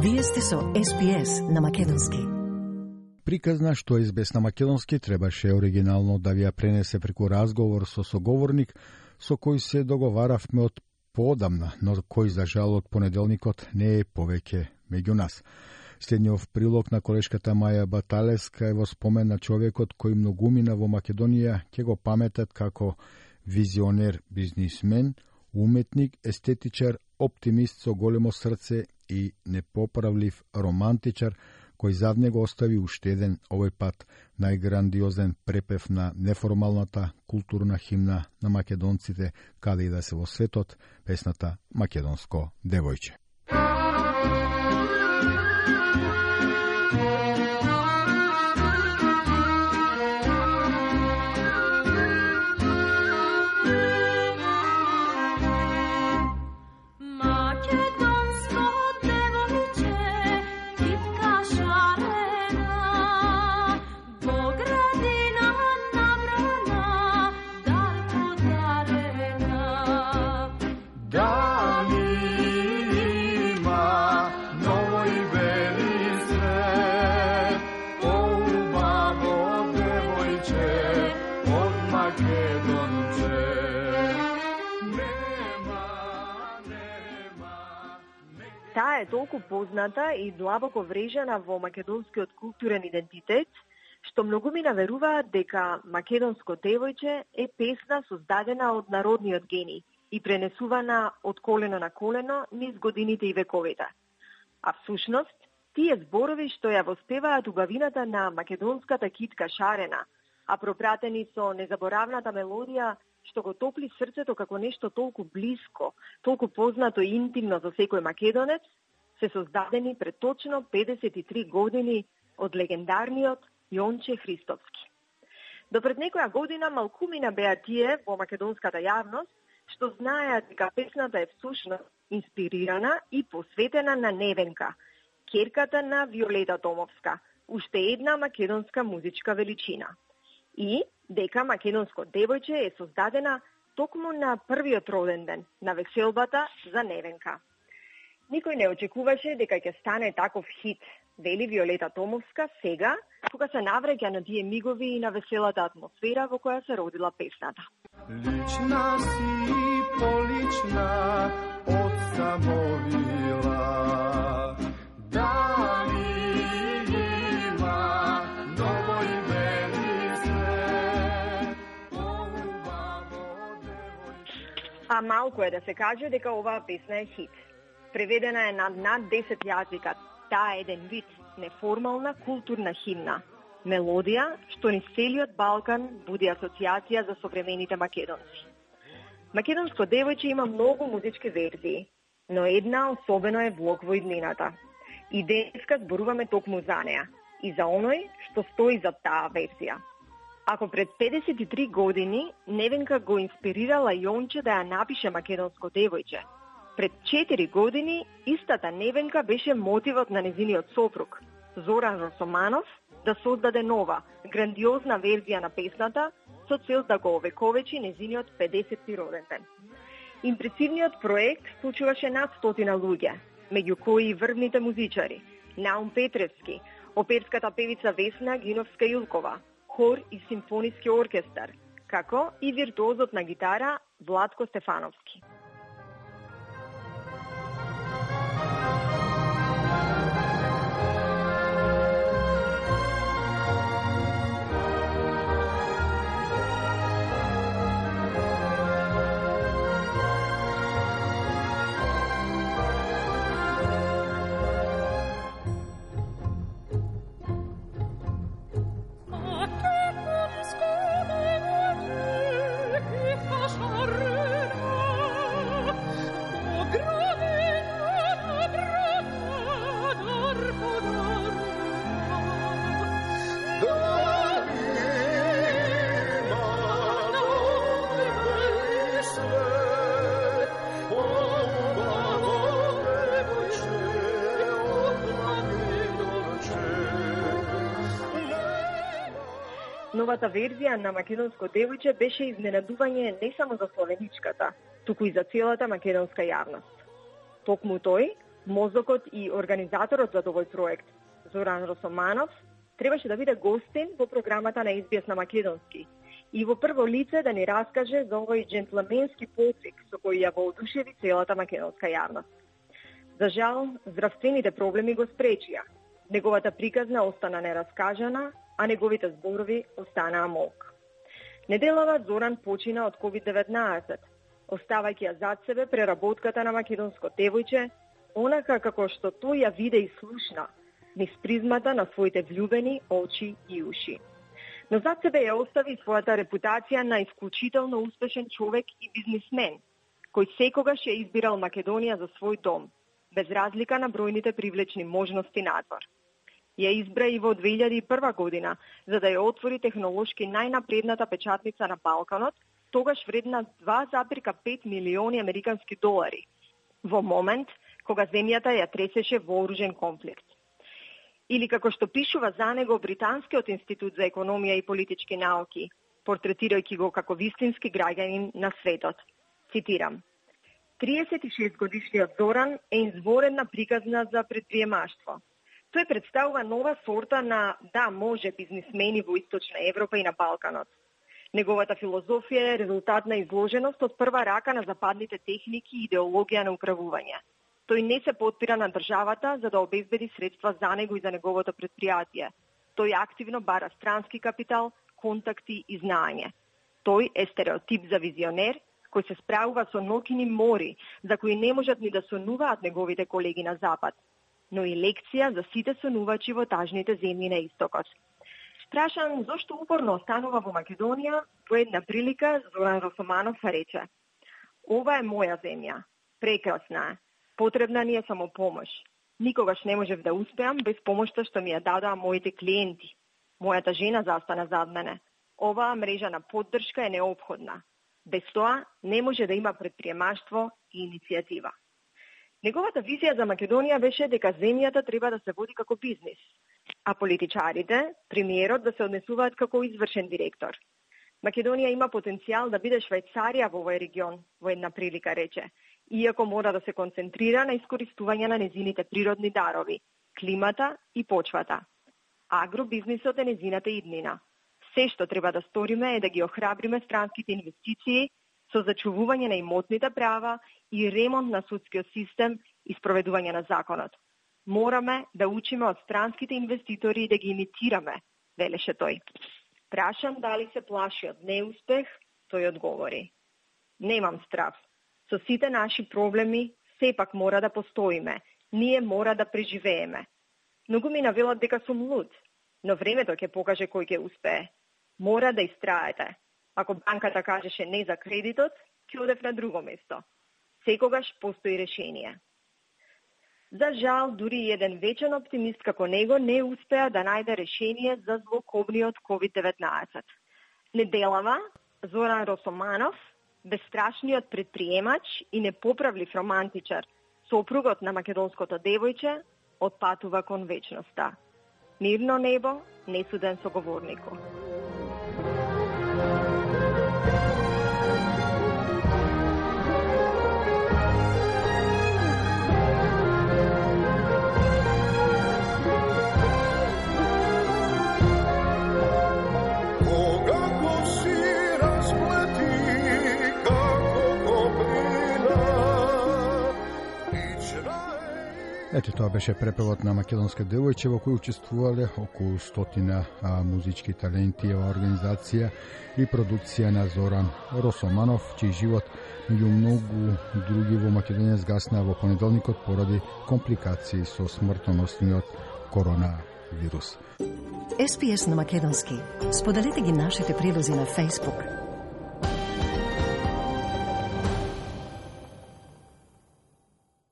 Вие сте со SPS на македонски. Приказна што SBS на македонски требаше оригинално да ви ја пренесе преку разговор со соговорник со кој се договаравме од поодамна, но кој за жал од понеделникот не е повеќе меѓу нас. Следниот прилог на колешката Маја Баталевска е во спомен на човекот кој многумина во Македонија, ќе го паметат како визионер, бизнисмен, уметник, естетичар, оптимист со големо срце и непоправлив романтичар, кој зад него остави уште еден, овој пат најграндиозен препев на неформалната културна химна на македонците, каде и да се во светот, песната Македонско девојче. Таа е толку позната и длабоко врежена во македонскиот културен идентитет, што многумина веруваат дека Македонско девојче е песна создадена од народниот гений и пренесувана од колено на колено низ годините и вековите. А всушност, тие зборови што ја воспеваат убавината на македонската китка шарена, а пропратени со незаборавната мелодија што го топли срцето како нешто толку блиско, толку познато и интимно за секој македонец, се создадени пред точно 53 години од легендарниот Јонче Христовски. Допред некоја година малкумина беа тие во македонската јавност што знаеат дека песната е всушност инспирирана и посветена на Невенка, ќерката на Виолета Томовска, уште една македонска музичка величина. И дека Македонско девојче е создадена токму на првиот роден ден на веселбата за Невенка. Никој не очекуваше дека ќе стане таков хит, вели Виолета Томовска сега, кога се навреќа на тие мигови и на веселата атмосфера во која се родила песната. Лична си полична од самовила, дали има ново име ни свет, убаво девојче. А малку е да се каже дека оваа песна е хит. Преведена е на над 10 јазика. Таа е еден вид неформална културна химна. Мелодија што низ целиот Балкан буди асоцијација за современите македонци. Македонско девојче има многу музички верзии, но една особено е влог во иднината. И денеска зборуваме токму за неа и за оној што стои за таа верзија. Ако пред 53 години Невенка го инспирирала Јонче да ја напише Македонско девојче, пред 4 години истата Невенка беше мотивот на незиниот сопруг, Зоран Росоманов, да создаде нова, грандиозна верзија на песната со цел да го овековечи незиниот 50-ти роден ден. Импресивниот проект вклучуваше над 100 луѓе, меѓу кои и врвните музичари, Наум Петревски, оперската певица Весна Гиновска-Илкова, хор и симфониски оркестар, како и виртуозот на гитара Владко Стефановски. Новата верзија на Македонско девојче беше изненадување не само за словеничката, туку и за целата македонска јавност. Токму тој, Мозокот и организаторот за овој проект, Зоран Росоманов, требаше да биде гостин во програмата на SBS на македонски и во прво лице да ни раскаже за овој джентлменски потик со кој ја воодушеви целата македонска јавност. За жал, здравствените проблеми го спречија. Неговата приказна остана нераскажана, а неговите зборови останаа молк. Неделава Зоран почина од COVID-19, оставајќи ја зад себе преработката на македонско девојче, онака како што тој ја виде и слушна, низ призмата на своите влюбени очи и уши. Но зад себе ја остави својата репутација на исклучително успешен човек и бизнисмен, кој секогаш ја избирал Македонија за свој дом, без разлика на бројните привлечни можности надвор. Ја избра и во 2001 година, за да ја отвори технолошки најнапредната печатница на Балканот, тогаш вредна 2,5 милиони американски долари, во момент кога земјата ја тресеше вооружен конфликт. Или како што пишува за него Британскиот институт за економија и политички науки, портретирајќи го како вистински граѓанин на светот. Цитирам: 36 годишниот Зоран е изворена приказна за предприемаштво. Тој представува нова сорта на да може бизнисмени во Источна Европа и на Балканот. Неговата филозофија е резултат на изложеност од прва рака на западните техники и идеологија на управување. Тој не се потпира на државата за да обезбеди средства за него и за неговото предпријатие. Тој активно бара странски капитал, контакти и знаење. Тој е стереотип за визионер, кој се справува со ноќни мори, за кои не можат ни да сонуваат неговите колеги на Запад, но и лекција за сите сонувачи во тажните земји на Истокот. Прашан зошто упорно останува во Македонија, по една прилика Зоран Росоманов рече: "Ова е моја земја, прекрасна е. Потребна ни е само помош. Никогаш не можев да успеам без помошта што ми ја дадоа моите клиенти. Мојата жена застана зад мене. Оваа мрежа на поддршка е неопходна. Без тоа не може да има предприемаштво и иницијатива." Неговата визија за Македонија беше дека земјата треба да се води како бизнис, а политичарите, премиерот, да се однесуваат како извршен директор. Македонија има потенцијал да биде Швајцарија во овој регион, во една прилика рече, иако мора да се концентрира на искористување на незините природни дарови, климата и почвата. Агробизнисот е незината иднина. Се што треба да сториме е да ги охрабриме странските инвестиции со зачувување на имотните права и ремонт на судскиот систем и спроведување на законот. Мораме да учиме од странските инвеститори и да ги имитираме, велеше тој. Прашан дали се плаши од неуспех, тој одговори: "Немам страв. Со сите наши проблеми, сепак мора да постоиме. Ние мора да преживееме. Многу ми навелат дека сум луд, но времето ќе покаже кој ќе успее. Мора да истраете. Ако банката кажеше не за кредитот, ќе одев на друго место. Секогаш постои решение." За жал, дури и еден вечен оптимист како него не успеа да најде решение за злокобниот COVID-19. Неделава, Зоран Росоманов, бестрашниот предприемач и непоправлив романтичар, сопругот на македонското девојче, отпатува кон вечноста. Мирно небо, несуден соговорнику. Ето тоа беше препевот на македонска девојче во кој учествувале околу 100 музички таленти во организација и продукција на Зоран Росоманов, чиј живот меѓу многу други во Македонија згасна во понеделникот поради компликации со смртоносниот коронавирус. SBS на македонски. Споделете ги нашите прилози на Facebook,